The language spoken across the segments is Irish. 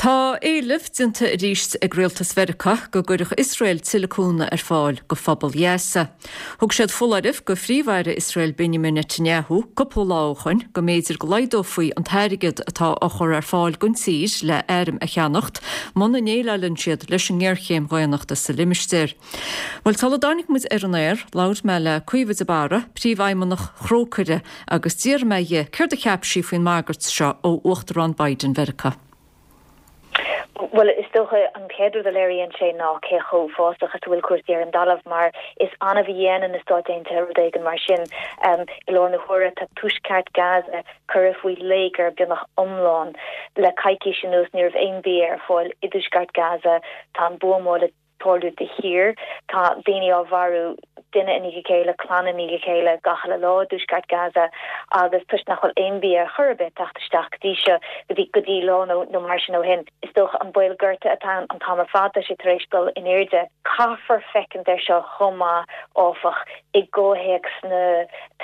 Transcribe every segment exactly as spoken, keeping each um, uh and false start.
Tá éileamh déanta arís ag rialtas Mheiriceá go gcuirfeadh Iosrael tuilleadh cúnamh ar fáil go phobal Ghaza. Thug siad foláireamh go Phríomh-Aire Iosrael Benjamin Netanyahu cúpla lá ó shin go mb'fhéidir go laghdófaí an t-airgead atá á chur ar fáil don tír le hairm a cheannacht muna ndéileálann siad leis an ngéarchéim dhaonnachta sa limistéar. Bhuel sula dtáinig muid ar an aer, labhair mé le Caoimhe de Barra, príomhfheidhmeannach Thrócaire agus d'iarr mé uirthi céard a cheap sí faoin mbagairt seo ó Uachtarán Biden Mheiriceá. Well is dócha an chéad rud a léiríonn sé ná cé chomh uafásach is a bhfuil cúrsaí ar an dtalamh mar is annamh a dhéanann na Stáit Aontaithe rud éigin mar sin um, i lár na huaire tá tuaisceart Gaza curtha faoi léigear beagnach iomlán le coicís anuas ní raibh aon bhia ar fáil i dtuaisceart Gaza tá an buamáil tarlú de shíor tá daoine á mharú duine i ndiaidh a chéile clann i ndiaidh a chéile gach uile lá i dtuaisceart Gaza agus toisc nach bhfuil aon bhia chor ar bith ag teacht isteach go dtí seo go dtí go dtí lá nó nó mar sin ó shin. Is dócha an baol gorta atá an t-am ar fad sé tar éis dul in airde. Caithfear féachaint air seo chomh maith áfach i gcomhthéacs na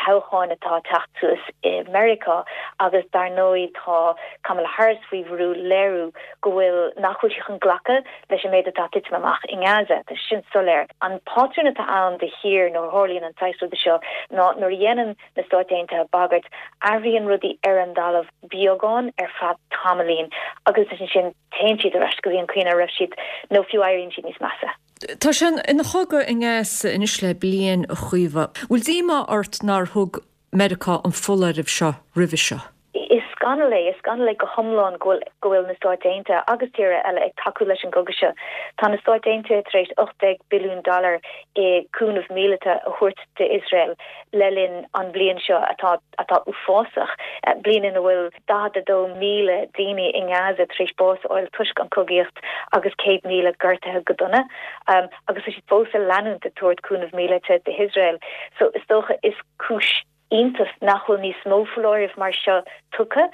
toghcháin atá ag teacht suas i Meiriceá agus dar ndóigh tá Kamala Harris faoi bhrú léiriú go bhfuil nach bhfuil sí chun glacadh leis an méid atá ag titim amach i nGaza Tá sin soiléir. An pátrún atá ann de shíor nuair a tharlaíonn an saghas ruda seo ná nuair a dhéanann na Stáit Aontaithe bagairt athraíonn rudaí ar an dtalamh beagán ar feadh tamaillín agus ansin téann siad ar ais go dtí an chaoi a raibh siad nó fiú éiríonn siad níos measa. Tá sé ina chogadh i nGaza anois le bliain a Chaoimhe. Bhfuil díomá ort nár thug Meiriceá an foláireamh seo roimhe seo. Is scannal é is scannal é go hiomlán go bhfuil na Stáit Aontaithe agus tíortha eile ag tacú leis an gcogadh seo. Tá na Stáit Aontaithe tar éis ocht déag billiún dollar i cúnamh míleata a thabhairt d'Iosrael le linn an bliain seo atá atá uafásach bliain ina bhfuil daichead a dó míle daoine i nGaza tar éis bás a fháil toisc an chogaíocht agus céad míle gortaithe go dona um, agus tá siad fós ag leanúint ag tabhairt cúnamh míleata d'Iosrael. So is dócha is cúis iontais nach bhfuil níos mó foláireamh mar seo tugtha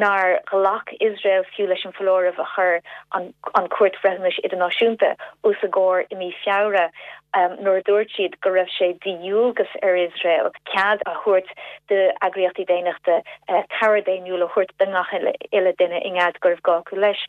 nár ghlac Iosrael fiú leis an foláireamh a chuir an, an Chúirt Bhreithiúnais Idirnáisiúnta os a gcomhair i mí Feabhra um, nuair a dúirt siad go raibh sé de dhualgas ar Iosrael cead a thabhairt d'eagraíochtaí daonnachta uh, cabhair dhaonnúil a thabhairt do gach uile duine i nGaza go raibh gá acu leis.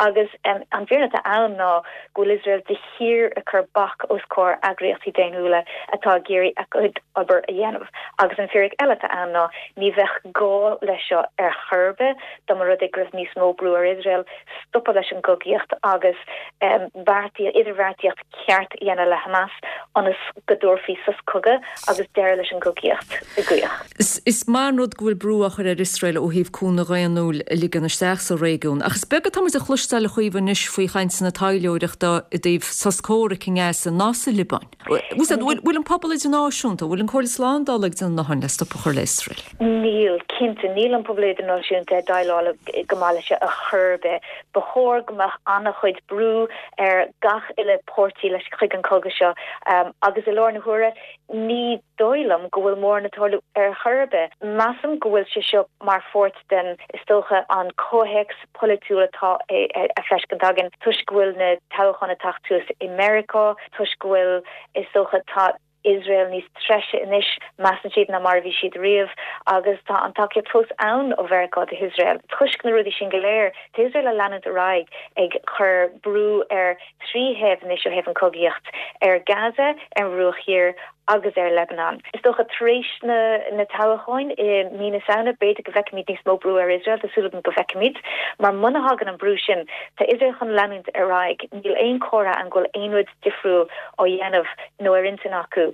Agus um, an fhírinne atá ann ná go bhfuil Iosrael de shíor ag cur bac os comhair eagraíochtaí daonnúla atá ag iarraidh a gcuid obair a dhéanamh. Agus an fhíric eile atá ann ná ní bheadh gá leis seo ar chor ar bith dá mba rud é go raibh níos mó brú ar Iosrael stopadh leis an gcogaíocht agus um, idirbheartaíocht ceart a dhéanamh le Hamas ionas go dtabharfaí sos cogaidh agus deireadh leis an gcogaíocht i gcrích. Is, is maith an rud go bhfuil brú á chur ar Iosrael ó thaobh cúnamh daonnúil a ligean isteach sa réigiún. Ach is beag atá muid a chloisteáil a Chaoimhe anois faoi chainteanna taidhleoireachta i dtaobh sos comhraic i nGaza ná sa Liobáin. Bhfuil an pobal idirnáisiúnta, bhfuil an Chomhairle Slándála ag déanamh a ndóthain le stop a chur le Iosrael. Níl cinnte níl an pobal idirnáisiúnta ag déileáil go maith leis ar chor ar bith. Ba chóir go mbeadh an-chuid brú ar gach uile páirtí leis chuig an cogadh seo um, agus i lár na huaire ní dóigh liom go bhfuil mórán ag tarlú ar chor ar bith. Measaim go bhfuil sé seo mar pháirt den is dócha an comhthéacs polaitiúil atá á fheiscint againn toisc go bhfuil na toghcháin ag teacht suas i Meiriceá, toisc go bhfuil is dócha tá Iosrael níos treise anois measann siad ná mar a bhí siad riamh agus tá an tacaíocht fós ann ó Mheiriceá d'Iosrael. Toisc na rudaí sin go léir, tá Iosrael ag leanúint ar aghaidh ag chur brú ar trí thaobh anois ó thaobh an chogaíocht ar Gaza ar an Bhruach Thiar agus ar Lebanon. Is dócha tar éis na na toghcháin i mí na Samhna b'fhéidir go bhfeicfimid níos mó brú ar Iosrael tá súil agam go bhfeicfimid, mar muna thagann an brú sin tá Iosrael chun leanúint ar aghaidh níl aon chomhartha ann go bhfuil aon rud difriúil á dhéanamh nó ar intinn acu.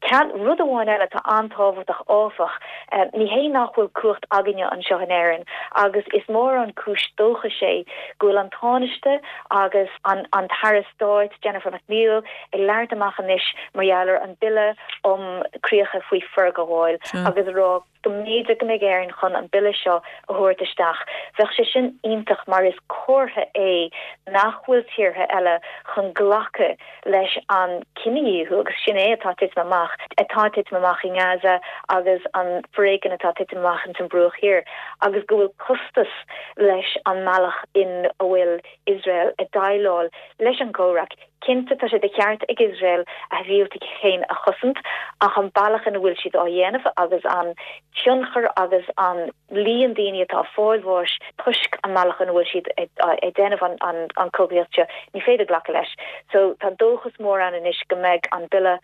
Ceann rud amháin eile atá an-tábhachtach áfach, uh, ní hé nach bhfuil cumhacht againne anseo in Éirinn, agus is mór an cúis dóchais é go bhfuil an Tánaiste agus an, an tAire Stáit Jennifer McNeill ag labhairt amach anois mar gheall ar an bille um críocha faoi forghabháil agus rá go mb'fhéidir go mbeidh Éirinn chun an bille seo a thabhairt isteach. Bheadh sé sin iontach mar is comhartha é nach bhfuil tíortha eile chun glacadh leis an cinedhíothú agus sin é atá ag titim amach atá ag titim amach i nGaza agus an foréigean atá ag titim amach in san Bhruach Thiar agus go bhfuil costas leis an mbealach in a bhfuil Iosrael ag déileáil leis an gcomhrac Cinnte tá sé de cheart ag Iosrael a shibhialtaigh féin a chosaint ach an bealach ina bhfuil siad á dhéanamh agus an tionchar agus an líon daoine atá ag fáil bháis toisc an mbealach ina bhfuil siad ag déanamh an chogaíocht seo, ní féidir glacadh leis. So tá dóchas mór ann anois go mbeidh an bille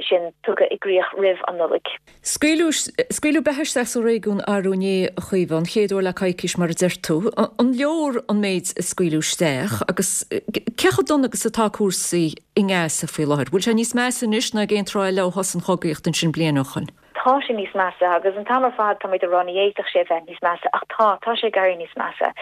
sin tugtha i gcrích roimh an Nollaig. Scaoileadh beatha isteach sa réigiún arú inné, a Chaoimhe, an chéad uair le coicís mar a deir tú. An leor an méid a scaoileadh isteach agus cé chomh dona agus atá cúrsaí i nGaza faoi láthair? Bhfuil sé níos measa anois ná ag aon tráth eile ó thosaigh an chogaíocht ansin bliain ó shoin? Tá sé níos measa agus an t-am ar fad tá muid ag rá ní fhéadfadh sé a bheith níos measa ach tá, tá sé ag éirí níos measa.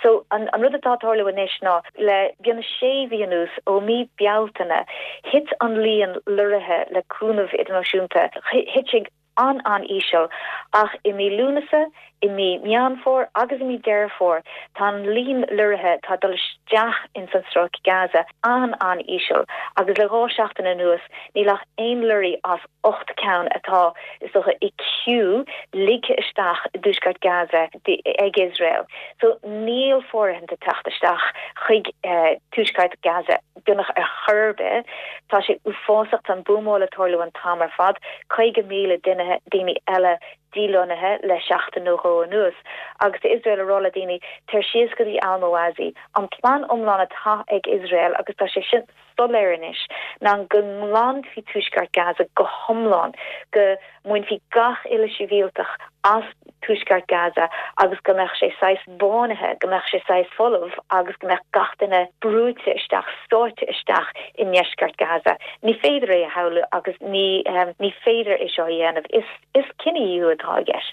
So an an rud atá ag tarlú anois ná le beagnach sé mhí anuas, ó mí Bealtaine, thit an líon lorraithe le cúnamh idirnáisiúnta, thit sé an-an-íseal ach i mí Lúnasa, i mí Meán Fómhair agus i mí Deireadh Fómhair tá an líon lorraithe atá ag dul isteach ins an Stráice Gaza an-an-íseal agus le dhá seachtain anuas níl ach aon lorry as ocht ceann atá, is dócha, i queue ligthe isteach i dtuaisceart Gaza ag Iosrael. So níl fóirithint ag teacht isteach chuig tuaisceart Gaza beagnach ar chor ar bith. Tá sé uafásach, tá an buamáil ag tarlú an t-am ar fad, caoga míle duine, daoine eile dílonnaithe le seachtain nó dhó anuas agus tá Iosrael ag rá le daoine tar síos go dtí Al-Mawasi. An plean iomlán atá ag Iosrael agus tá sé sin soiléir anois ná go nglanfaí tuaisceart Gaza go hiomlán, go mbainfí gach uile shibhialtach as tuaisceart Gaza agus go mbeadh sé saghas bánaithe, go mbeadh sé saghas folamh agus go mbeadh gach duine brúite isteach, sáite isteach i ndeisceart Gaza. Ní féidir é a shamhlú agus ní ní féidir é seo a dhéanamh. Is is cinedhíothú atá i gceist.